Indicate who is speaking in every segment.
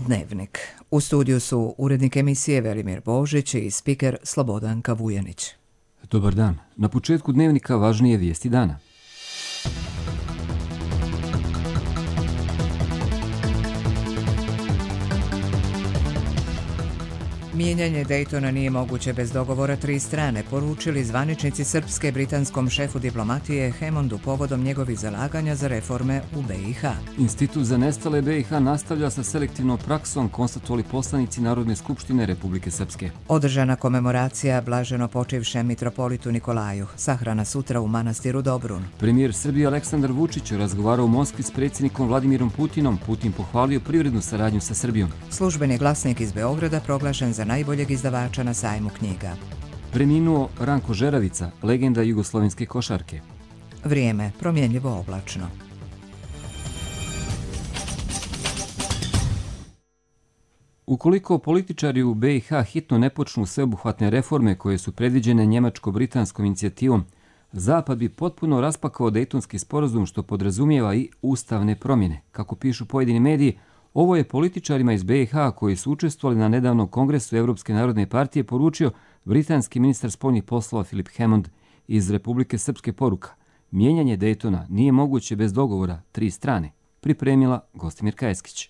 Speaker 1: Dnevnik. U studiju su urednik emisije Velimir Božić i spiker Slobodanka Vujanić.
Speaker 2: Dobar dan. Na početku Dnevnika važnije vijesti dana.
Speaker 1: Mijenjanje Daytona nije moguće bez dogovora tri strane, poručili zvaničnici srpske britanskom šefu diplomatije Hamondu povodom njegovih zalaganja za reforme u BiH.
Speaker 2: Institut za nestale BiH nastavlja sa selektivnom praksom, konstatovali poslanici Narodne skupštine Republike Srpske.
Speaker 1: Održana komemoracija blaženo počivšem mitropolitu Nikolaju, sahrana sutra u manastiru Dobrun.
Speaker 2: Premijer Srbije Aleksandar Vučić razgovarao u Moskvi s predsjednikom Vladimirom Putinom. Putin pohvalio privrednu saradnju sa Srbijom.
Speaker 1: Službeni glasnik iz Beograda proglašen za najboljeg izdavača na sajmu knjiga.
Speaker 2: Preminuo Ranko Žeravica, legenda jugoslovenske košarke.
Speaker 1: Vrijeme promjenljivo oblačno.
Speaker 2: Ukoliko političari u BiH hitno ne počnu sveobuhvatne reforme koje su predviđene njemačko-britanskom inicijativom, Zapad bi potpuno raspakao Dejtonski sporazum, što podrazumijeva i ustavne promjene. Kako pišu pojedini mediji, ovo je političarima iz BiH koji su učestvovali na nedavnom kongresu Evropske narodne partije poručio britanski ministar spoljnih poslova Philip Hammond. Iz Republike Srpske poruka: mijenjanje Daytona nije moguće bez dogovora tri strane. Pripremila Gostimirka Eskić.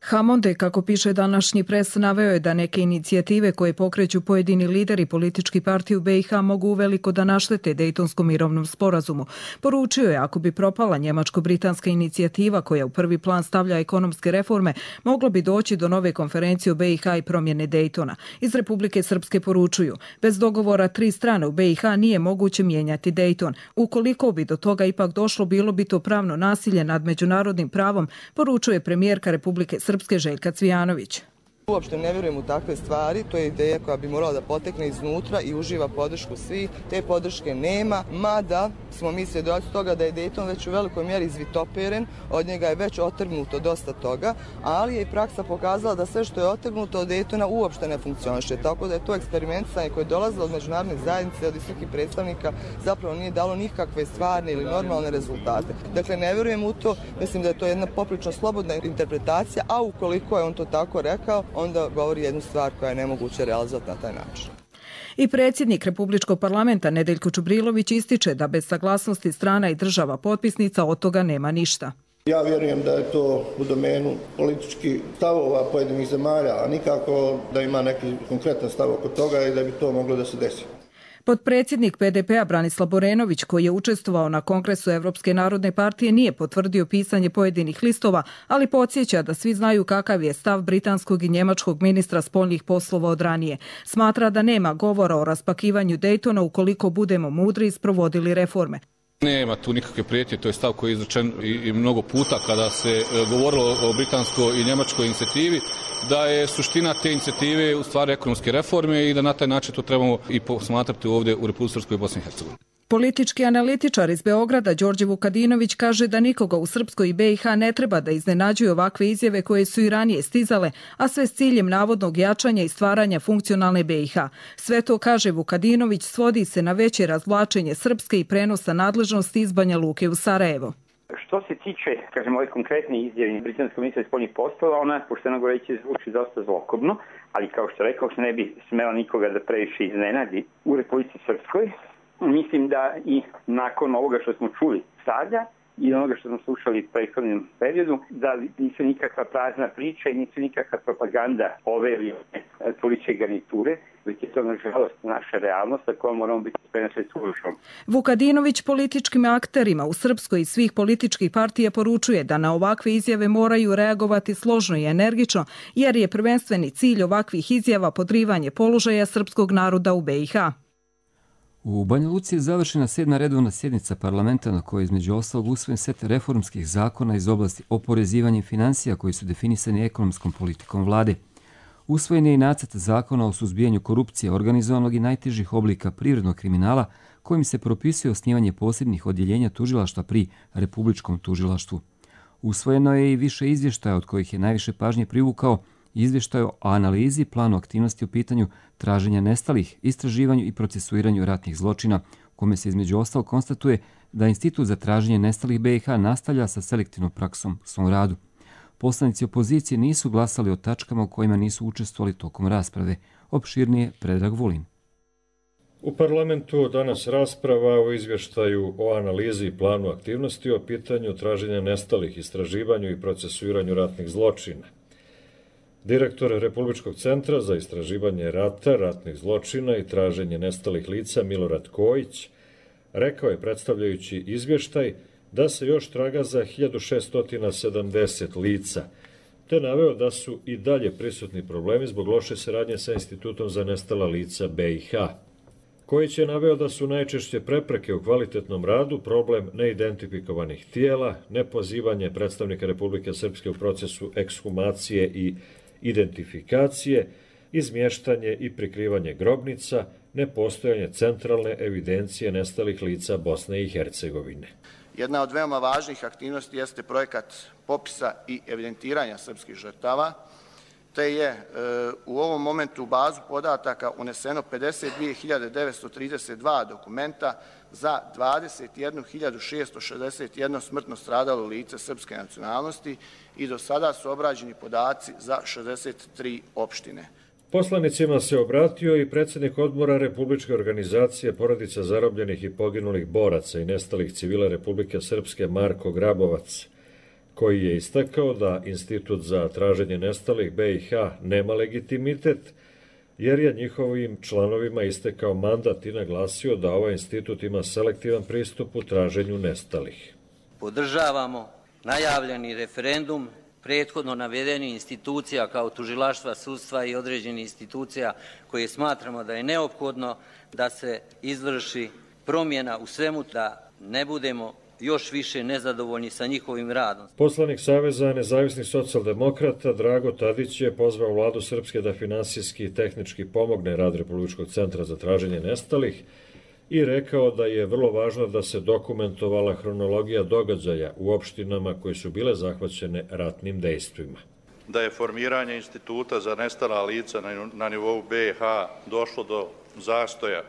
Speaker 3: Hammond, kako piše današnji pres, naveo je da neke inicijative koje pokreću pojedini lideri političkih partija u BiH mogu uveliko da naštete Dejtonskom mirovnom sporazumu. Poručio je, ako bi propala njemačko-britanska inicijativa koja u prvi plan stavlja ekonomske reforme, moglo bi doći do nove konferencije u BiH i promjene Dejtona. Iz Republike Srpske poručuju: bez dogovora tri strane u BiH nije moguće mijenjati Dejton. Ukoliko bi do toga ipak došlo, bilo bi to pravno nasilje nad međunarodnim pravom, poručuje premijerka Republike Srpske Željka Cvijanović.
Speaker 4: Uopšte ne vjerujem u takve stvari, to je ideja koja bi morala da potekne iznutra i uživa podršku svih. Te podrške nema, mada smo mi svjedoci toga da je Dayton već u velikoj mjeri izvitoperen, od njega je već otrgnuto dosta toga, ali je i praksa pokazala da sve što je otrgnuto od Daytona uopšte ne funkcioniše, tako da je to eksperimentisanje koje je dolazilo od međunarodne zajednice, od visokih predstavnika, zapravo nije dalo nikakve stvarne ili normalne rezultate. Dakle, ne vjerujem u to, mislim da je to jedna poprilično slobodna interpretacija, a ukoliko je on to tako rekao, onda govori jednu stvar koja je nemoguće realizovati na taj način.
Speaker 3: I predsjednik Republičkog parlamenta Nedeljko Čubrilović ističe da bez saglasnosti strana i država potpisnica od toga nema ništa.
Speaker 5: Ja vjerujem da je to u domenu političkih stavova pojedinih zemalja, a nikako da ima neki konkretan stav oko toga i da bi to moglo da se desi.
Speaker 3: Potpredsjednik PDP-a Branislav Borenović, koji je učestvovao na kongresu Evropske narodne partije, nije potvrdio pisanje pojedinih listova, ali podsjeća da svi znaju kakav je stav britanskog i njemačkog ministra spoljnih poslova od ranije. Smatra da nema govora o raspakivanju Daytona ukoliko budemo mudri i sprovodili reforme.
Speaker 6: Nema tu nikakve prijetnje, to je stav koji je izrečen i mnogo puta kada se govorilo o britanskoj i njemačkoj inicijativi, da je suština te inicijative u stvari ekonomske reforme i da na taj način to trebamo i posmatrati ovdje u Republici Srpskoj i Bosni i Hercegovini.
Speaker 3: Politički analitičar iz Beograda Đorđe Vukadinović kaže da nikoga u Srpskoj i BiH ne treba da iznenađuju ovakve izjave koje su i ranije stizale, a sve s ciljem navodnog jačanja i stvaranja funkcionalne BiH. Sve to, kaže Vukadinović, svodi se na veće razvlačenje Srpske i prenosa nadležnosti iz Banja Luke u Sarajevo.
Speaker 7: Što se tiče, kažemo, ove konkretne izjave britanskog ministra spoljnih poslova, ona, pošteno govoreći, zvuči dosta zlokobno, ali kao što rekao, se ne bi smela nikoga da previše iznenadi u Republici Srpskoj. Mislim da i nakon ovoga što smo čuli sada i onoga što smo slušali u prethodnom periodu, da nisu nikakva prazna priča i nisu nikakva propaganda ove ili političke garniture, već je to nažalost naša realnost, a koja moramo biti spremni sve suočiti.
Speaker 3: Vukadinović političkim akterima u Srpskoj i svih političkih partija poručuje da na ovakve izjave moraju reagovati složno i energično, jer je prvenstveni cilj ovakvih izjava podrivanje položaja srpskog naroda u BiH.
Speaker 2: U Banja Luci je završena 7. redovna sjednica parlamenta na kojoj je između ostalog usvojen set reformskih zakona iz oblasti oporezivanja i financija koji su definisani ekonomskom politikom vlade. Usvojen je i nacrt zakona o suzbijanju korupcije, organizovanog i najtežih oblika privrednog kriminala, kojim se propisuje osnivanje posebnih odjeljenja tužilaštva pri Republičkom tužilaštvu. Usvojeno je i više izvještaja, od kojih je najviše pažnje privukao izvještaj o analizi planu aktivnosti u pitanju traženja nestalih, istraživanju i procesuiranju ratnih zločina, u kome se između ostalog konstatuje da Institut za traženje nestalih BiH nastavlja sa selektivnom praksom u svom radu. poslanici opozicije nisu glasali o tačkama u kojima nisu učestvovali tokom rasprave. Opširnije Predrag Vulin.
Speaker 8: U parlamentu danas rasprava o izvještaju o analizi i planu aktivnosti o pitanju traženja nestalih, istraživanju i procesuiranju ratnih zločina. Direktor Republičkog centra za istraživanje rata, ratnih zločina i traženje nestalih lica Milorad Kojić rekao je, predstavljajući izvještaj, da se još traga za 1670 lica, te naveo da su i dalje prisutni problemi zbog loše saradnje sa Institutom za nestala lica BiH. Kojić je naveo da su najčešće prepreke u kvalitetnom radu problem neidentifikovanih tijela, nepozivanje predstavnika Republike Srpske u procesu ekshumacije i identifikacije, izmještanje i prikrivanje grobnica, nepostojanje centralne evidencije nestalih lica Bosne i Hercegovine.
Speaker 5: Jedna od veoma važnih aktivnosti jeste projekat popisa i evidentiranja srpskih žrtava, te je u ovom momentu u bazu podataka uneseno 52.932 dokumenta za 21.661 smrtno stradalo lice srpske nacionalnosti i do sada su obrađeni podaci za 63 opštine.
Speaker 8: Poslanicima se obratio i predsjednik odbora Republičke organizacije porodica zarobljenih i poginulih boraca i nestalih civila Republike Srpske Marko Grabovac, koji je istakao da Institut za traženje nestalih BiH nema legitimitet, jer je njihovim članovima istekao mandat i naglasio da ovaj institut ima selektivan pristup u traženju nestalih.
Speaker 9: Podržavamo najavljeni referendum prethodno navedenih institucija kao tužilaštva, sudstva i određenih institucija koje smatramo da je neophodno da se izvrši promjena u svemu, da ne budemo još više nezadovoljni sa njihovim radom.
Speaker 8: Poslanik Saveza nezavisnih socijaldemokrata Drago Tadić je pozvao vladu Srpske da finansijski i tehnički pomogne rad Republičkog centra za traženje nestalih i rekao da je vrlo važno da se dokumentovala hronologija događaja u opštinama koje su bile zahvaćene ratnim dejstvima.
Speaker 10: Da je formiranje Instituta za nestala lica na nivou BiH došlo do zastoja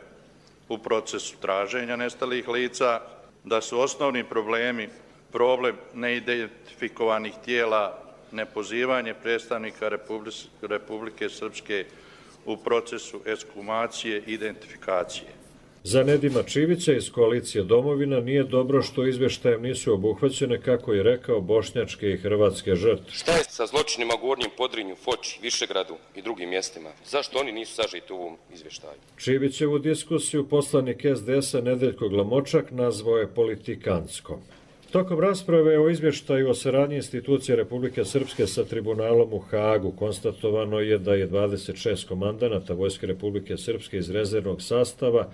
Speaker 10: u procesu traženja nestalih lica, da su osnovni problemi problem neidentifikovanih tijela, nepozivanje predstavnika Republike Srpske u procesu ekshumacije i identifikacije.
Speaker 8: Za Nedima Čivića iz koalicije Domovina nije dobro što izvještajem nisu obuhvaćene, kako je rekao, bošnjačke i hrvatske žrtve.
Speaker 11: Šta je sa zločinima u Gornjem Podrinju, Foči, Višegradu i drugim mjestima? Zašto oni nisu sažeti u ovom izvještaju?
Speaker 8: Čivićevu diskusiju poslanik SDS-a Nedeljko Glamočak nazvao je politikanskom. Tokom rasprave o izvještaju o saradnji institucija Republike Srpske sa tribunalom u Hagu konstatovano je da je 26 komandanata Vojske Republike Srpske iz rezervnog sastava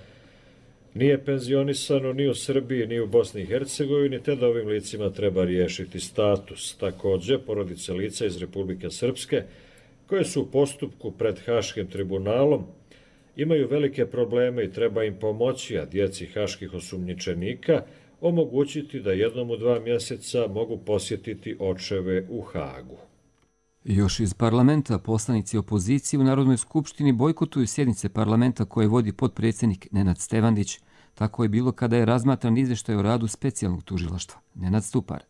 Speaker 8: nije penzionisano ni u Srbiji ni u Bosni i Hercegovini, te da ovim licima treba riješiti status. Također, porodice lica iz Republike Srpske, koje su u postupku pred Haškim tribunalom, imaju velike probleme i treba im pomoći, a djeci haških osumnjičenika omogućiti da jednom u 2 mjeseca mogu posjetiti očeve u Hagu.
Speaker 2: Još iz parlamenta poslanici opozicije u Narodnoj skupštini bojkotuju sjednice parlamenta koje vodi potpredsjednik Nenad Stevandić. Tako je bilo kada je razmatran izvještaj o radu specijalnog tužilaštva. Nenad Stupar.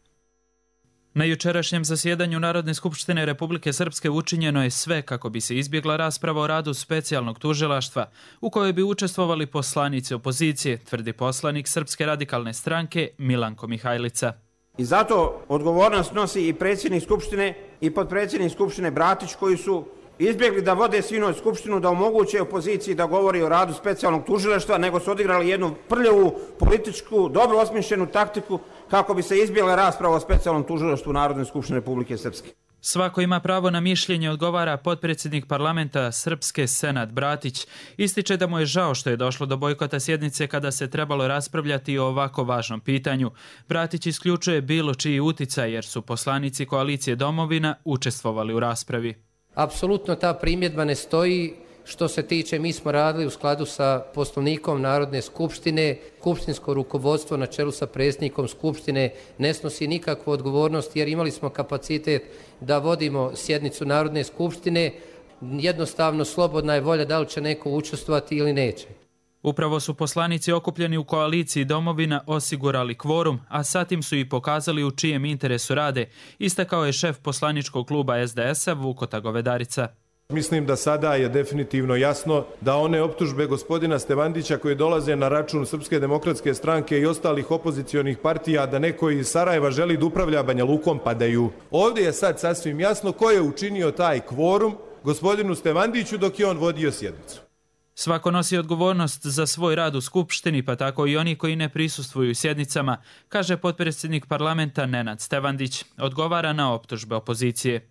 Speaker 12: Na jučerašnjem zasjedanju Narodne skupštine Republike Srpske učinjeno je sve kako bi se izbjegla rasprava o radu specijalnog tužilaštva, u kojoj bi učestvovali poslanici opozicije, tvrdi poslanik Srpske radikalne stranke Milanko Mihajlica.
Speaker 13: I zato odgovornost nosi i predsjednik Skupštine i potpredsjednik Skupštine Bratić, koji su izbjegli da vode sinoć Skupštinu, da omoguće opoziciji da govori o radu specijalnog tužilaštva, nego su odigrali jednu prljavu političku, dobro osmišljenu taktiku kako bi se izbjegla rasprava o specijalnom tužilaštvu Narodne skupštine Republike Srpske.
Speaker 12: Svako ima pravo na mišljenje, odgovara potpredsjednik parlamenta Srpske Senad Bratić. Ističe da mu je žao što je došlo do bojkota sjednice kada se trebalo raspravljati o ovako važnom pitanju. Bratić isključuje bilo čiji uticaj jer su poslanici koalicije Domovina učestvovali u raspravi.
Speaker 14: Apsolutno ta primjedba ne stoji. Što se tiče, mi smo radili u skladu sa Poslovnikom Narodne skupštine. Skupštinsko rukovodstvo na čelu sa predsjednikom Skupštine ne snosi nikakvu odgovornost jer imali smo kapacitet da vodimo sjednicu Narodne skupštine. Jednostavno slobodna je volja da li će neko učestvovati ili neće.
Speaker 12: Upravo su poslanici okupljeni u koaliciji Domovina osigurali kvorum, a satim su i pokazali u čijem interesu rade, istakao je šef poslaničkog kluba SDS-a Vukota Govedarica.
Speaker 15: Mislim da sada je definitivno jasno da one optužbe gospodina Stevandića koje dolaze na račun Srpske demokratske stranke i ostalih opozicionih partija da neko iz Sarajeva želi da upravlja Banja Lukom padaju. Ovdje je sad sasvim jasno ko je učinio taj kvorum gospodinu Stevandiću dok je on vodio sjednicu.
Speaker 12: Svako nosi odgovornost za svoj rad u Skupštini, pa tako i oni koji ne prisustvuju sjednicama, kaže potpredsjednik parlamenta Nenad Stevandić. Odgovara na optužbe opozicije.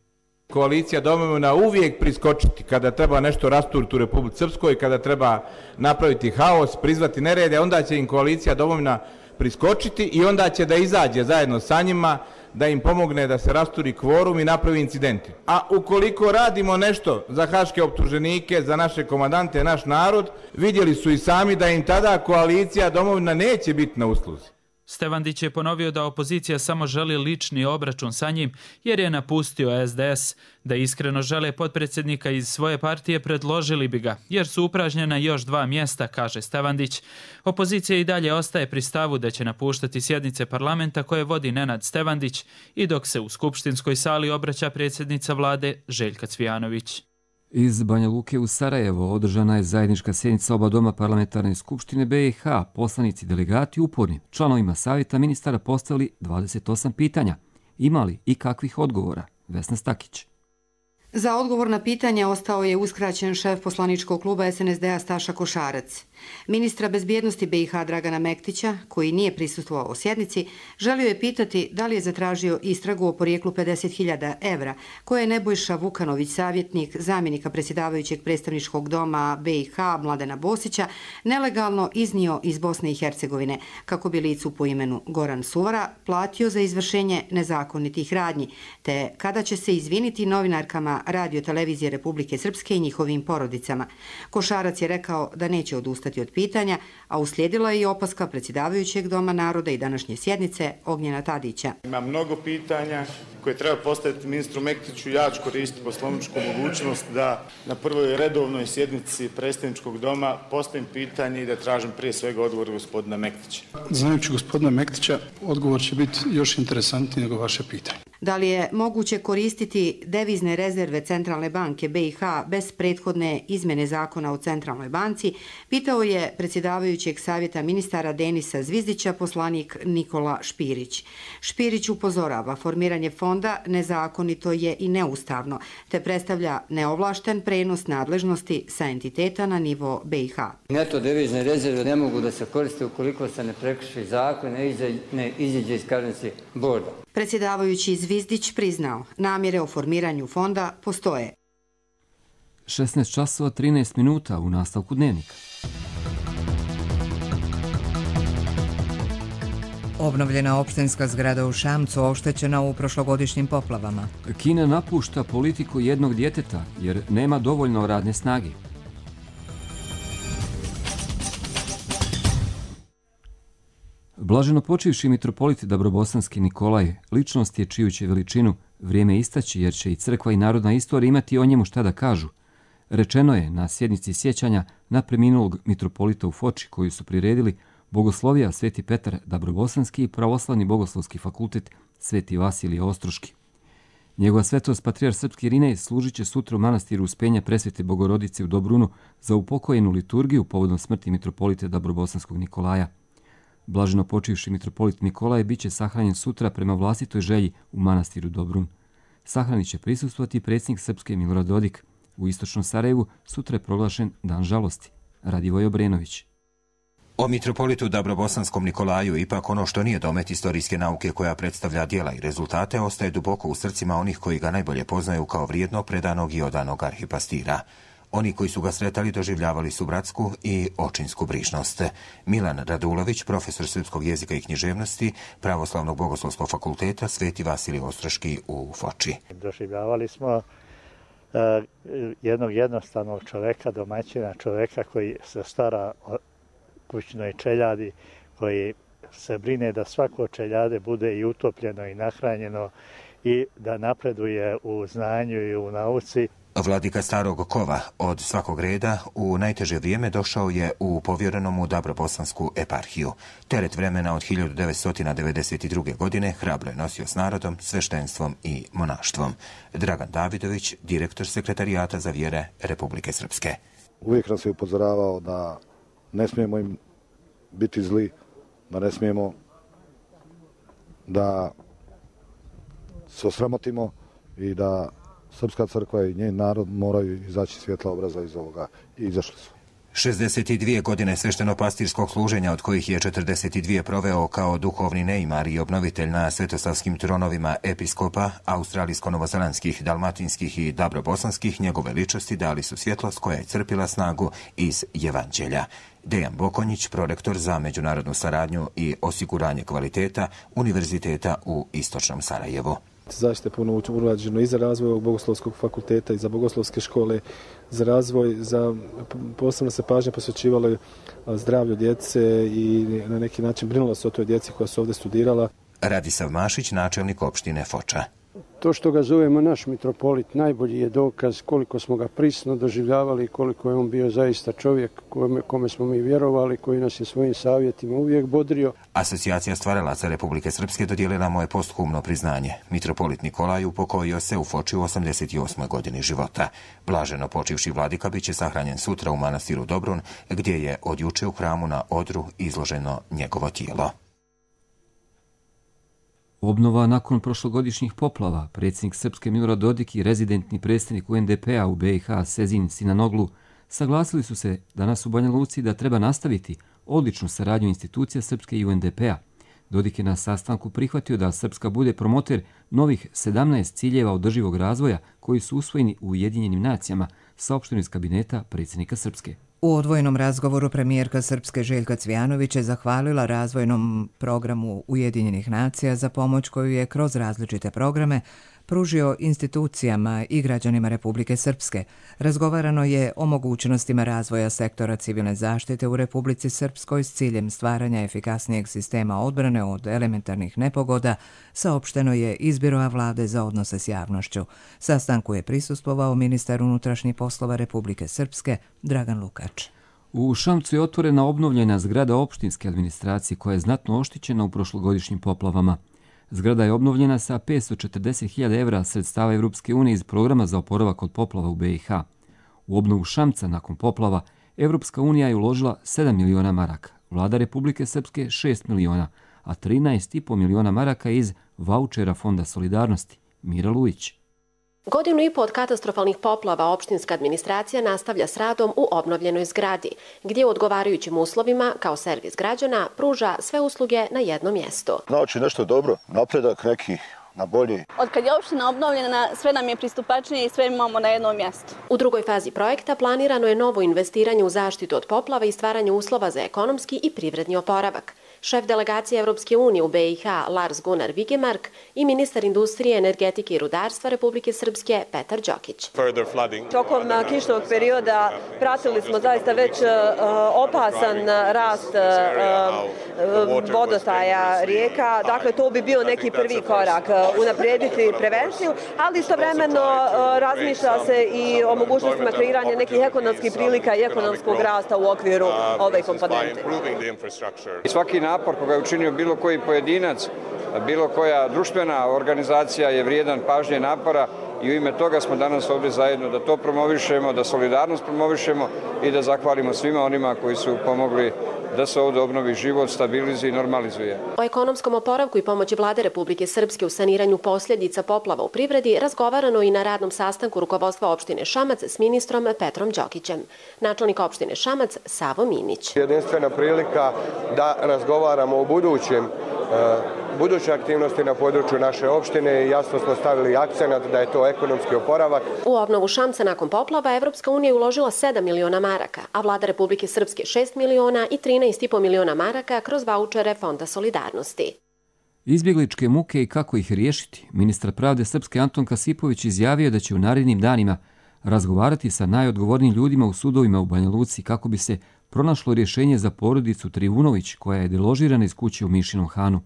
Speaker 16: Koalicija Domovina uvijek priskočiti kada treba nešto rasturiti u Republici Srpskoj, kada treba napraviti haos, prizvati nerede, onda će im koalicija Domovina priskočiti i onda će da izađe zajedno sa njima, da im pomogne da se rasturi kvorum i napravi incidenti. A ukoliko radimo nešto za haške optuženike, za naše komandante, naš narod, vidjeli su i sami da im tada koalicija Domovina neće biti na usluzi.
Speaker 12: Stevandić je ponovio da opozicija samo želi lični obračun sa njim jer je napustio SDS. Da iskreno žele potpredsjednika iz svoje partije predložili bi ga jer su upražnjena još 2 mjesta, kaže Stevandić. Opozicija i dalje ostaje pri stavu da će napuštati sjednice parlamenta koje vodi Nenad Stevandić i dok se u skupštinskoj sali obraća predsjednica vlade Željka Cvijanović.
Speaker 2: Iz Banja Luke u Sarajevo održana je zajednička sjednica oba doma parlamentarne skupštine BiH. Poslanici delegati uporni članovima savjeta ministara postavili 28 pitanja. Imali i kakvih odgovora? Vesna Stakić.
Speaker 17: Za odgovor na pitanje ostao je uskraćen šef poslaničkog kluba SNSD-a Staša Košarac. Ministra bezbjednosti BiH Dragana Mektića, koji nije prisustvovao sjednici, želio je pitati da li je zatražio istragu o porijeklu 50.000 evra koje je Nebojša Vukanović, savjetnik zamjenika predsjedavajućeg predstavničkog doma BiH Mladena Bosića, nelegalno iznio iz Bosne i Hercegovine kako bi licu po imenu Goran Suvara platio za izvršenje nezakonitih radnji, te kada će se izviniti novinarkama Radio televizije Republike Srpske i njihovim porodicama. Košarac je rekao da neće odustati od pitanja, a uslijedila je i opaska predsjedavajućeg Doma naroda i današnje sjednice Ognjena Tadića.
Speaker 18: Ima mnogo pitanja koje treba postaviti ministru Mektiću. Ja ću koristiti poslovničku mogućnost da na prvoj redovnoj sjednici predstavničkog doma postavim pitanje i da tražim prije svega odgovor gospodina Mektića.
Speaker 19: Znajući gospodina Mektića, odgovor će biti još interesantniji nego vaše pitanje.
Speaker 17: Da li je moguće koristiti devizne rezerve Centralne banke BiH bez prethodne izmjene zakona o Centralnoj banci, pitao je predsjedavajućeg savjeta ministara Denisa Zvizdića poslanik Nikola Špirić. Špirić upozorava, formiranje fonda nezakonito je i neustavno, te predstavlja neovlašten prenos nadležnosti sa entiteta na nivo BiH.
Speaker 20: Neto devizne rezerve ne mogu da se koriste ukoliko se ne prekrši zakon, ne iziđe iz karenci borda.
Speaker 17: Predsjedavajući Zvizdić priznao, namjere o formiranju fonda postoje.
Speaker 2: 16 časova 13 minuta u nastavku dnevnika.
Speaker 1: Obnovljena opštinska zgrada u Šamcu oštećena u prošlogodišnjim poplavama.
Speaker 2: Kina napušta politiku jednog djeteta jer nema dovoljno radne snage. Blaženo počivši mitropolit Dabrobosanski Nikolaj ličnost je čiju će veličinu vrijeme istaći jer će i crkva i narodna istorija imati o njemu šta da kažu. Rečeno je na sjednici sjećanja na preminulog mitropolita u Foči koju su priredili Bogoslovija Sveti Petar Dabrobosanski i Pravoslavni bogoslovski fakultet Sveti Vasilije Ostroški. Njegova svetost patrijar srpski Irinej služit će sutra u manastiru Uspenja Presvete Bogorodice u Dobrunu za upokojenu liturgiju povodom smrti mitropolita Dabrobosanskog Nikolaja. Blaženo počivši mitropolit Nikolaj bit će sahranjen sutra prema vlastitoj želji u manastiru Dobrun. Sahranit će prisustvovati predsjednik Srpske Milorad Dodik. U istočnom Sarajevu sutra je proglašen Dan žalosti. Radivoj Obrenović.
Speaker 21: O mitropolitu Dabrobosanskom Nikolaju ipak ono što nije domet istorijske nauke koja predstavlja djela i rezultate ostaje duboko u srcima onih koji ga najbolje poznaju kao vrijednog, predanog i odanog arhipastira. Oni koji su ga sretali doživljavali su bratsku i očinsku brižnost. Milan Radulović, profesor srpskog jezika i književnosti Pravoslavnog bogoslovskog fakulteta Sveti Vasilije Ostroški u Foči.
Speaker 22: Doživljavali smo jednog jednostavnog čoveka, domaćina, čoveka koji se stara o kućnoj čeljadi, koji se brine da svako čeljade bude i utopljeno i nahranjeno i da napreduje u znanju i u nauci.
Speaker 21: Vladika Starog Kova od svakog reda u najteže vrijeme došao je u povjerenom u Dabrobosansku eparhiju. Teret vremena od 1992. godine hrabro je nosio s narodom, sveštenstvom i monaštvom. Dragan Davidović, direktor Sekretarijata za vjere Republike Srpske.
Speaker 4: Uvijek nas je upozoravao da ne smijemo im biti zli, da ne smijemo da se osramotimo i da Srpska crkva i njen narod moraju izaći svjetla obraza iz ovoga i izašli su.
Speaker 21: 62 godine sveštenopastirskog služenja, od kojih je 42 proveo kao duhovni neimar i obnovitelj na svetosavskim tronovima episkopa australijsko-novozelandskih, dalmatinskih i dabrobosanskih, njegove ličnosti dali su svjetlost koja je crpila snagu iz Evanđelja. Dejan Bokonjić, prorektor za međunarodnu saradnju i osiguranje kvaliteta Univerziteta u Istočnom Sarajevu.
Speaker 6: Zaista je puno urađeno i za razvoj ovog bogoslovskog fakulteta i za bogoslovske škole, za razvoj, posebno se pažnja posvećivala zdravlju djece i na neki način brinulo se o toj djeci koja su ovdje studirala.
Speaker 21: Radisav Mašić, načelnik opštine Foča.
Speaker 23: To što ga zovemo naš mitropolit najbolji je dokaz koliko smo ga prisno doživljavali i koliko je on bio zaista čovjek kome smo mi vjerovali, koji nas je svojim savjetima uvijek bodrio.
Speaker 21: Asocijacija stvaralaca Republike Srpske dodijelila mu je posthumno priznanje. Mitropolit Nikolaj upokojio se u Foči u 88. godini života. Blaženo počivši vladika biće sahranjen sutra u manastiru Dobrun, gdje je od juče u hramu na Odru izloženo njegovo tijelo.
Speaker 2: Obnova nakon prošlogodišnjih poplava. Predsjednik Srpske Milorad Dodik i rezidentni predstavnik UNDP-a u BiH Sezin Sinanoglu saglasili su se danas u Banja Luci da treba nastaviti odličnu saradnju institucija Srpske i UNDP-a. Dodik je na sastanku prihvatio da Srpska bude promoter novih 17 ciljeva održivog razvoja koji su usvojeni u Ujedinjenim nacijama, saopšteno iz kabineta predsjednika Srpske.
Speaker 1: U odvojenom razgovoru premijerka Srpske Željka Cvijanović je zahvalila razvojnom programu Ujedinjenih nacija za pomoć koju je kroz različite programe pružio institucijama i građanima Republike Srpske. Razgovarano je o mogućnostima razvoja sektora civilne zaštite u Republici Srpskoj s ciljem stvaranja efikasnijeg sistema odbrane od elementarnih nepogoda, saopšteno je iz Biroa vlade za odnose s javnošću. Sastanku je prisustvovao ministar unutrašnjih poslova Republike Srpske Dragan Lukač.
Speaker 2: U Šamcu je otvorena obnovljena zgrada opštinske administracije koja je znatno oštećena u prošlogodišnjim poplavama. Zgrada je obnovljena sa 540.000 evra sredstava Evropske unije iz programa za oporavak od poplava u BiH. U obnovu Šamca nakon poplava Evropska unija je uložila 7 miliona maraka, vlada Republike Srpske 6 miliona, a 13,5 miliona maraka iz vaučera Fonda solidarnosti. Mira Lujić.
Speaker 24: Godinu i po od katastrofalnih poplava opštinska administracija nastavlja s radom u obnovljenoj zgradi, gdje u odgovarajućim uslovima, kao servis građana, pruža sve usluge na jednom mjestu.
Speaker 25: Znači nešto dobro, napredak neki na bolje.
Speaker 26: Od kad je opština obnovljena, sve nam je pristupačnije i sve imamo na jednom mjestu.
Speaker 24: U drugoj fazi projekta planirano je novo investiranje u zaštitu od poplava i stvaranje uslova za ekonomski i privredni oporavak. Šef delegacije Evropske unije u BiH Lars Gunnar Vigemark i ministar industrije, energetike i rudarstva Republike Srpske Petar Đokić.
Speaker 27: Tokom kišnog perioda pratili smo zaista već opasan rast vodostaja rijeka. Dakle, to bi bio neki prvi korak, unaprijediti prevenciju, ali istovremeno razmišlja se i o mogućnostima kreiranja nekih ekonomskih prilika i ekonomskog rasta u okviru ove komponente.
Speaker 28: Svaki napor koga je učinio bilo koji pojedinac, bilo koja društvena organizacija je vrijedan pažnje napora i u ime toga smo danas ovdje zajedno da to promovišemo, da solidarnost promovišemo i da zahvalimo svima onima koji su pomogli da se ovdje obnovi život, stabilizuje i normalizuje.
Speaker 24: O ekonomskom oporavku i pomoći vlade Republike Srpske u saniranju posljedica poplava u privredi razgovarano i na radnom sastanku rukovodstva opštine Šamac s ministrom Petrom Đokićem. Načelnik opštine Šamac Savo Minić.
Speaker 25: Jedinstvena prilika da razgovaramo o buduće aktivnosti na području naše opštine i jasno smo stavili akcenat da je to ekonomski oporavak.
Speaker 24: U obnovu Šamca nakon poplava Evropska unija je uložila 7 miliona maraka, a vlada Republike Srpske 6 miliona i 13,5 miliona maraka kroz vaučere Fonda solidarnosti.
Speaker 2: Izbjegličke muke i kako ih riješiti, ministar pravde Srpske Anton Kasipović izjavio da će u narednim danima razgovarati sa najodgovornijim ljudima u sudovima u Banja Luci kako bi se pronašlo rješenje za porodicu Trivunović koja je deložirana iz kuće u Mišinom Hanu.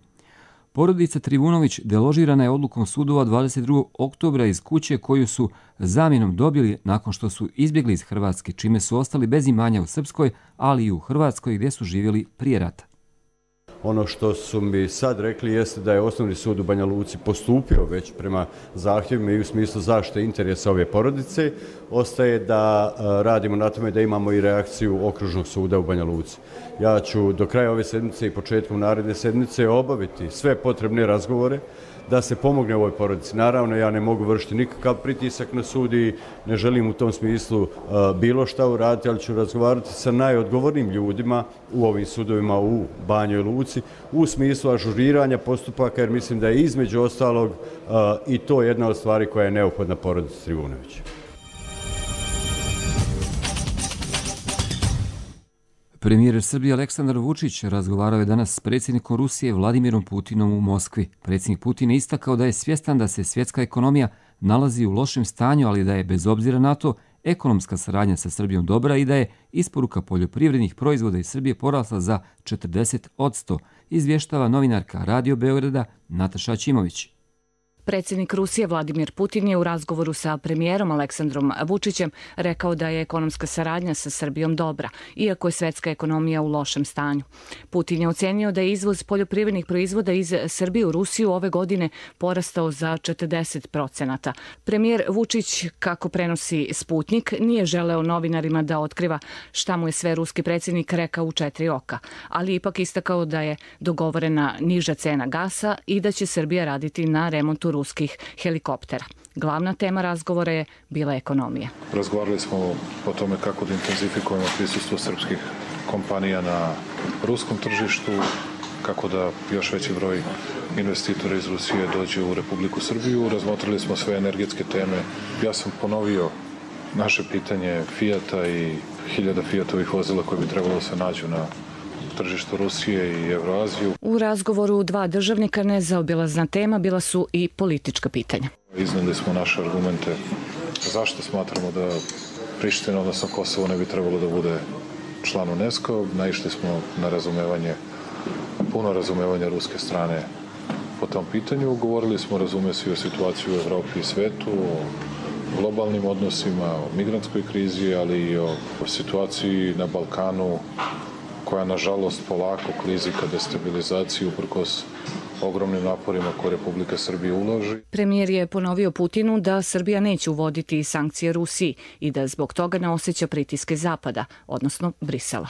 Speaker 2: Porodica Trivunović deložirana je odlukom sudova 22. oktobra iz kuće koju su zamjenom dobili nakon što su izbjegli iz Hrvatske, čime su ostali bez imanja u Srpskoj, ali i u Hrvatskoj gdje su živjeli prije rata.
Speaker 3: Ono što su mi sad rekli jeste da je Osnovni sud u Banja Luci postupio već prema zahtjevima i u smislu zaštite interesa ove porodice. Ostaje da radimo na tome da imamo i reakciju Okružnog suda u Banja Luci. Ja ću do kraja ove sedmice i početkom naredne sedmice obaviti sve potrebne razgovore da se pomogne ovoj porodici. Naravno, ja ne mogu vršiti nikakav pritisak na sud i ne želim u tom smislu bilo šta uraditi, ali ću razgovarati sa najodgovornim ljudima u ovim sudovima u Banjoj Luci u smislu ažuriranja postupaka, jer mislim da je između ostalog i to jedna od stvari koja je neophodna porodici Trivunović.
Speaker 2: Premijer Srbije Aleksandar Vučić razgovarao je danas s predsjednikom Rusije Vladimirom Putinom u Moskvi. Predsjednik Putin je istakao da je svjestan da se svjetska ekonomija nalazi u lošem stanju, ali da je bez obzira na to ekonomska saradnja sa Srbijom dobra i da je isporuka poljoprivrednih proizvoda iz Srbije porasla za 40%, izvještava novinarka Radio Beograda Nataša Ćimović.
Speaker 5: Predsjednik Rusije Vladimir Putin je u razgovoru sa premijerom Aleksandrom Vučićem rekao da je ekonomska saradnja sa Srbijom dobra, iako je svjetska ekonomija u lošem stanju. Putin je ocenio da je izvoz poljoprivrednih proizvoda iz Srbije u Rusiju ove godine porastao za 40%. Premijer Vučić, kako prenosi Sputnik, nije želeo novinarima da otkriva šta mu je sve ruski predsjednik rekao u 4 oka, ali ipak istakao da je dogovorena niža cena gasa i da će Srbija raditi na remontu ruskih helikoptera. Glavna tema razgovora je bila ekonomija.
Speaker 7: Razgovarali smo o tome kako da intenzifikujemo prisustvo srpskih kompanija na ruskom tržištu, kako da još veći broj investitora iz Rusije dođe u Republiku Srbiju. Razmotrili smo sve energetske teme. Ja sam ponovio naše pitanje Fijata i 1000 Fijatovih vozila koje bi trebalo da se nađu na tržištu Rusije i Evroaziju.
Speaker 5: U razgovoru dva državnika nezaobilazna tema bila su i politička pitanja.
Speaker 7: Iznijeli smo naše argumente zašto smatramo da Priština, odnosno Kosovo, ne bi trebalo da bude član UNESCO. Naišli smo na razumevanje, puno razumevanja ruske strane po tom pitanju. Govorili smo, razume se, o situaciji u Evropi i svetu, o globalnim odnosima, o migrantskoj krizi, ali i o situaciji na Balkanu, koja nažalost polako klizi ka destabilizaciji uprkos ogromnim naporima koje Republika Srbija uloži.
Speaker 5: Premijer je ponovio Putinu da Srbija neće uvoditi sankcije Rusiji i da zbog toga ne osjeća pritiske Zapada, odnosno Brisela.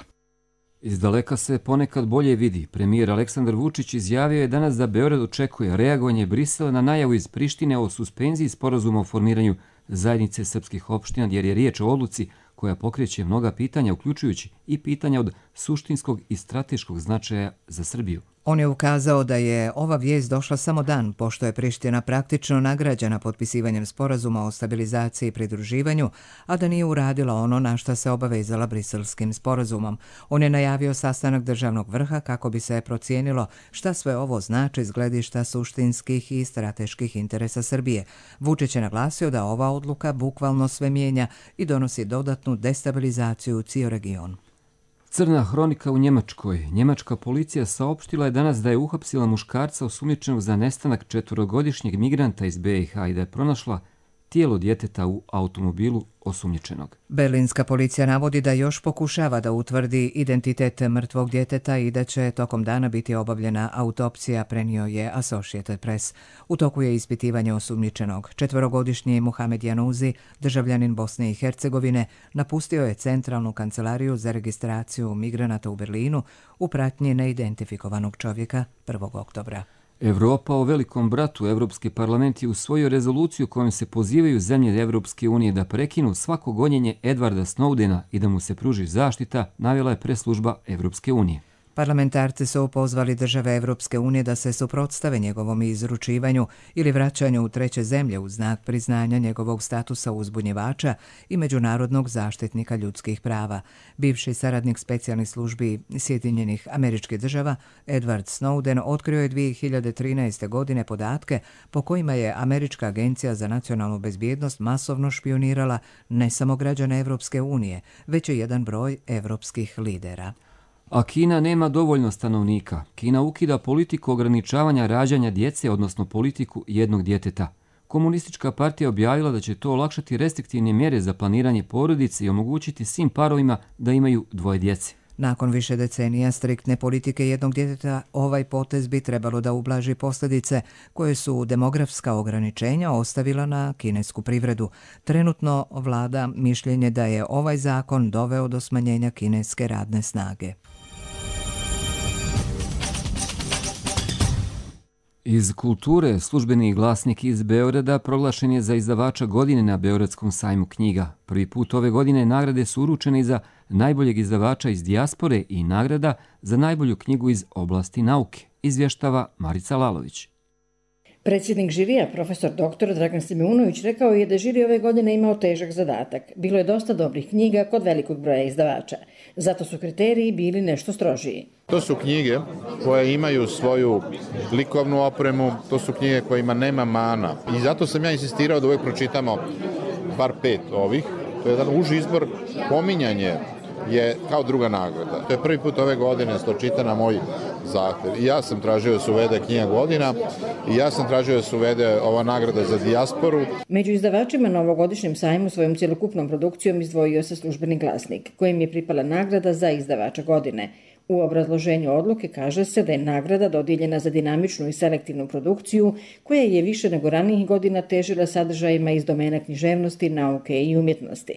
Speaker 2: Iz daleka se ponekad bolje vidi. Premijer Aleksandar Vučić izjavio je danas da Beograd očekuje reagovanje Brisela na najavu iz Prištine o suspenziji sporazuma o formiranju zajednice srpskih opština, jer je riječ o odluci koja pokreće mnoga pitanja, uključujući i pitanja od suštinskog i strateškog značaja za Srbiju.
Speaker 1: On je ukazao da je ova vijest došla samo dan pošto je Priština praktično nagrađena potpisivanjem sporazuma o stabilizaciji i pridruživanju, a da nije uradila ono na što se obavezala briselskim sporazumom. On je najavio sastanak državnog vrha kako bi se procijenilo šta sve ovo znači iz gledišta suštinskih i strateških interesa Srbije. Vučić je naglasio da ova odluka bukvalno sve mijenja i donosi dodatnu destabilizaciju u cijel region.
Speaker 2: Crna hronika u Njemačkoj. Njemačka policija saopštila je danas da je uhapsila muškarca osumnjičenog za nestanak 4-godišnjeg migranta iz BiH i da je pronašla tijelo djeteta u automobilu osumnjičenog.
Speaker 1: Berlinska policija navodi da još pokušava da utvrdi identitet mrtvog djeteta i da će tokom dana biti obavljena autopsija, prenio je Associated Press. U toku je ispitivanje osumnjičenog. 4-godišnji Muhamed Januzi, državljanin Bosne i Hercegovine, napustio je centralnu kancelariju za registraciju migranata u Berlinu u pratnji neidentifikovanog čovjeka 1. oktobra.
Speaker 2: Evropa o velikom bratu. Evropski parlament je usvojio rezoluciju kojom se pozivaju zemlje Evropske unije da prekinu svako gonjenje Edwarda Snowdena i da mu se pruži zaštita, navela je preslužba Evropske unije.
Speaker 1: Parlamentarci su pozvali države Evropske unije da se suprotstave njegovom izručivanju ili vraćanju u treće zemlje u znak priznanja njegovog statusa uzbunjivača i međunarodnog zaštitnika ljudskih prava. Bivši saradnik specijalnih službi Sjedinjenih Američkih Država, Edward Snowden, otkrio je 2013. godine podatke po kojima je Američka agencija za nacionalnu bezbjednost masovno špionirala ne samo građane Evropske unije, već i jedan broj evropskih lidera.
Speaker 2: A Kina nema dovoljno stanovnika. Kina ukida politiku ograničavanja rađanja djece, odnosno politiku jednog djeteta. Komunistička partija objavila da će to olakšati restriktivne mjere za planiranje porodice i omogućiti svim parovima da imaju 2 djece.
Speaker 1: Nakon više decenija striktne politike jednog djeteta, ovaj potez bi trebalo da ublaži posljedice koje su demografska ograničenja ostavila na kinesku privredu. Trenutno vlada mišljenje da je ovaj zakon doveo do smanjenja kineske radne snage.
Speaker 2: Iz kulture službeni glasnik iz Beograda proglašen je za izdavača godine na Beogradskom sajmu knjiga. Prvi put ove godine nagrade su uručene i za najboljeg izdavača iz dijaspore i nagrada za najbolju knjigu iz oblasti nauke, izvještava Marica Lalović.
Speaker 8: Predsjednik žirija, profesor dr. Dragan Simeunović, rekao je da žiri ove godine imao težak zadatak. Bilo je dosta dobrih knjiga kod velikog broja izdavača. Zato su kriteriji bili nešto strožiji.
Speaker 9: To su knjige koje imaju svoju likovnu opremu, to su knjige kojima nema mana. I zato sam ja insistirao da uvijek pročitamo bar 5 ovih. To je jedan uži izbor, pominjanje je kao druga nagrada. To je prvi put ove godine što čita na moj zahtjev. I ja sam tražio da se uvede knjiga godina i ja sam tražio da se uvede ova nagrada za dijasporu.
Speaker 8: Među izdavačima na ovogodišnjem sajmu svojom cjelokupnom produkcijom izdvojio se službeni glasnik, kojim je pripala nagrada za izdavača godine. U obrazloženju odluke kaže se da je nagrada dodijeljena za dinamičnu i selektivnu produkciju koja je više nego ranijih godina težila sadržajima iz domena književnosti, nauke i umjetnosti.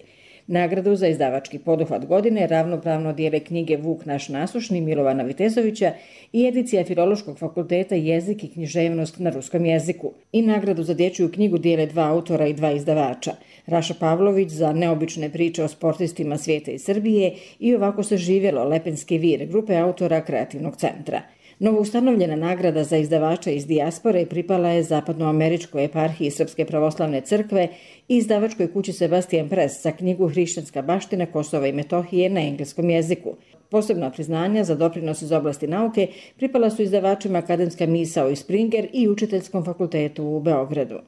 Speaker 8: Nagradu za izdavački poduhvat godine ravnopravno dijele knjige Vuk naš nasušni Milovana Vitezovića i edicija Filološkog fakulteta Jezik i književnost na ruskom jeziku. I nagradu za dječju knjigu dijele 2 autora i 2 izdavača. Raša Pavlović za neobične priče o sportistima svijeta i Srbije i Ovako se živjelo Lepenski vir grupe autora Kreativnog centra. Novoustanovljena nagrada za izdavača iz dijaspore pripala je Zapadnoameričkoj eparhiji Srpske pravoslavne crkve i izdavačkoj kući Sebastian Press za knjigu Hrišćanska baština Kosova i Metohije na engleskom jeziku. Posebna priznanja za doprinos iz oblasti nauke pripala su izdavačima Akademska misao i Springer i Učiteljskom fakultetu u Beogradu.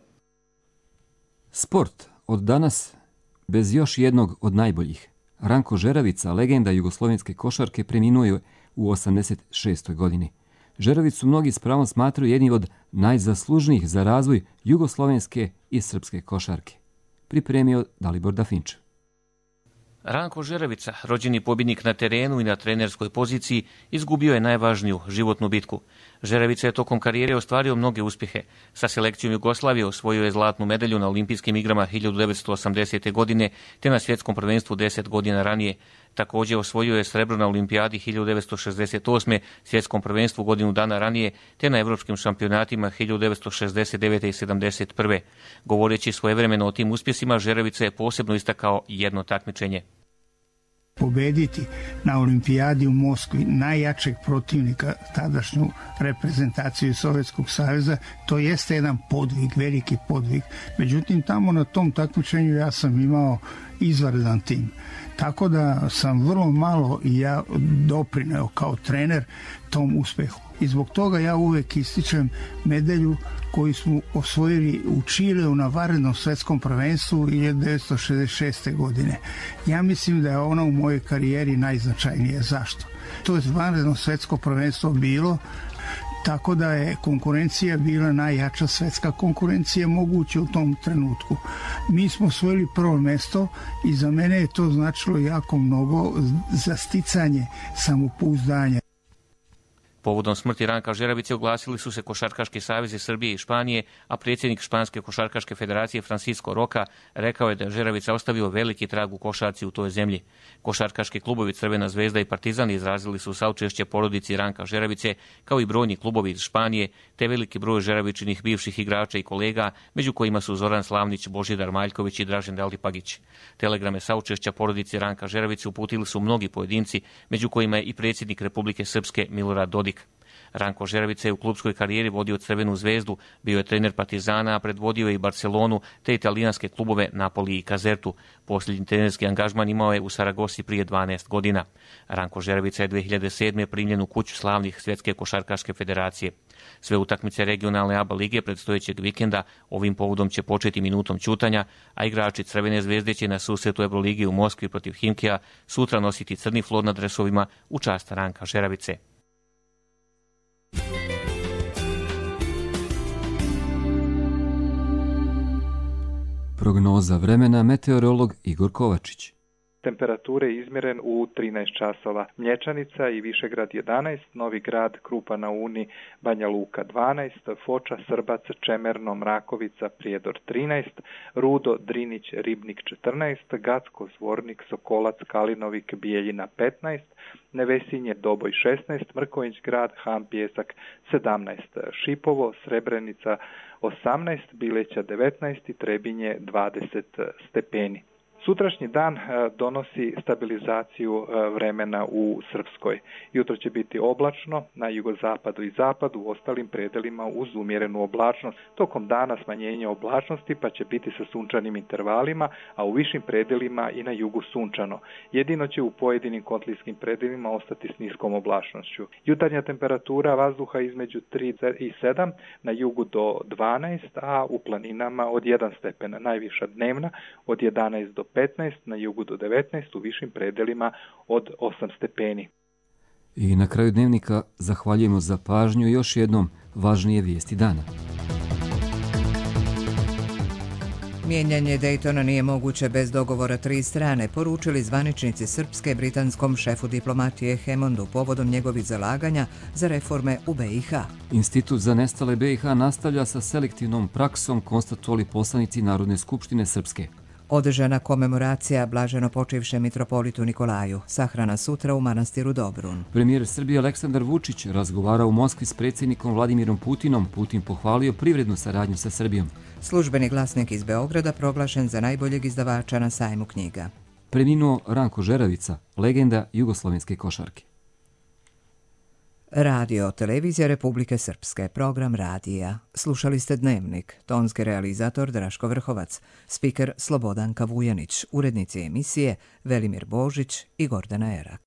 Speaker 2: Sport od danas bez još jednog od najboljih. Ranko Žeravica, legenda jugoslovenske košarke, preminuo je u 86. godini. Žeravicu mnogi s pravom smatraju jednim od najzaslužnijih za razvoj jugoslovenske i srpske košarke. Pripremio Dalibor Dafinčev.
Speaker 10: Ranko Žeravica, rođeni pobjednik na terenu i na trenerskoj poziciji, izgubio je najvažniju životnu bitku. Žeravica je tokom karijere ostvario mnoge uspjehe. Sa selekcijom Jugoslavije osvojio je zlatnu medalju na olimpijskim igrama 1980. godine te na svjetskom prvenstvu 10 godina ranije. Također osvojio je srebro na olimpijadi 1968. svjetskom prvenstvu godinu dana ranije te na evropskim šampionatima 1969. i 71. Govoreći svojevremeno o tim uspjesima, Žeravica je posebno istakao jedno takmičenje.
Speaker 11: Pobediti na olimpijadi u Moskvi najjačeg protivnika, tadašnju reprezentaciju Sovjetskog saveza, to jeste jedan podvig, veliki podvig. Međutim, tamo na tom takmičenju ja sam imao izvanredan tim. Tako da sam vrlo malo i ja doprineo kao trener tom uspjehu. I zbog toga ja uvijek ističem medalju koju smo osvojili u Čileu na vanrednom svjetskom prvenstvu 1966. godine. Ja mislim da je ona u mojoj karijeri najznačajnije. Zašto? To je vanredno svjetsko prvenstvo bilo, tako da je konkurencija bila najjača svjetska konkurencija moguća u tom trenutku. Mi smo osvojili prvo mjesto i za mene je to značilo jako mnogo za sticanje samopouzdanja.
Speaker 10: Povodom smrti Ranka Žeravice oglasili su se košarkaški savezi Srbije i Španije, a predsjednik Španske košarkaške federacije Francisco Roca rekao je da je Žeravica ostavio veliki trag u košarci u toj zemlji. Košarkaški klubovi Crvena zvezda i Partizan izrazili su saučešće porodici Ranka Žeravice, kao i brojni klubovi iz Španije, te veliki broj Žeravičinih bivših igrača i kolega, među kojima su Zoran Slavnić, Božidar Maljković i Dražen Delipagić. Telegrame saučešća porodici Ranka Žeravice uputili su mnogi pojedinci, među kojima je i predsjednik Republike Srpske Milorad Dodik. Ranko Žeravica je u klubskoj karijeri vodio Crvenu zvezdu, bio je trener Partizana, a predvodio je i Barcelonu te italijanske klubove Napoli i Kazertu. Posljednji trenerski angažman imao je u Saragosi prije 12 godina. Ranko Žeravica je 2007. primljen u kuću slavnih Svjetske košarkaške federacije. Sve utakmice regionalne ABA lige predstojećeg vikenda ovim povodom će početi minutom ćutanja, a igrači Crvene zvezde će na susretu Euroligi u Moskvi protiv Himkija sutra nositi crni flor na dresovima u čast Ranka Žeravice.
Speaker 2: Prognoza vremena, meteorolog Igor Kovačić.
Speaker 12: Temperature izmjeren u 13 časova. Mlječanica i Višegrad 11, Novi Grad, Krupa na Uni, Banja Luka 12, Foča, Srbac, Čemerno, Mrakovica, Prijedor 13, Rudo, Drinić, Ribnik 14, Gacko, Zvornik, Sokolac, Kalinovik, Bijeljina 15, Nevesinje, Doboj 16, Mrković grad, Han Pjesak 17, Šipovo, Srebrenica 18, Bileća 19 i Trebinje 20 stepeni. Sutrašnji dan donosi stabilizaciju vremena u Srpskoj. Jutro će biti oblačno na jugozapadu i zapadu, u ostalim predelima uz umjerenu oblačnost. Tokom dana smanjenje oblačnosti pa će biti sa sunčanim intervalima, a u višim predelima i na jugu sunčano. Jedino će u pojedinim kotlijskim predelima ostati s niskom oblačnošću. Jutarnja temperatura vazduha između 3 i 7, na jugu do 12, a u planinama od 1 stepen. Najviša dnevna od 11 do 15, na jugu do 19, u višim predelima od 8 stepeni.
Speaker 2: I na kraju dnevnika zahvaljujemo za pažnju još jednom važnije vijesti dana.
Speaker 1: Mijenjanje Daytona nije moguće bez dogovora 3 strane, poručili zvaničnici Srpske britanskom šefu diplomatije Hemondu povodom njegovih zalaganja za reforme u BiH.
Speaker 2: Institut za nestale BiH nastavlja sa selektivnom praksom, konstatovali poslanici Narodne skupštine Srpske.
Speaker 1: Održana komemoracija blaženo počivšem mitropolitu Nikolaju, sahrana sutra u manastiru Dobrun.
Speaker 2: Premijer Srbije Aleksandar Vučić razgovarao u Moskvi s predsjednikom Vladimirom Putinom. Putin pohvalio privrednu saradnju sa Srbijom.
Speaker 1: Službeni glasnik iz Beograda proglašen za najboljeg izdavača na sajmu knjiga.
Speaker 2: Preminuo Ranko Žeravica, legenda jugoslovenske košarke.
Speaker 1: Radio Televizija Republike Srpske, program radija. Slušali ste Dnevnik, tonski realizator Draško Vrhovac, spiker Slobodanka Vujanić, urednici emisije Velimir Božić i Gordana Erak.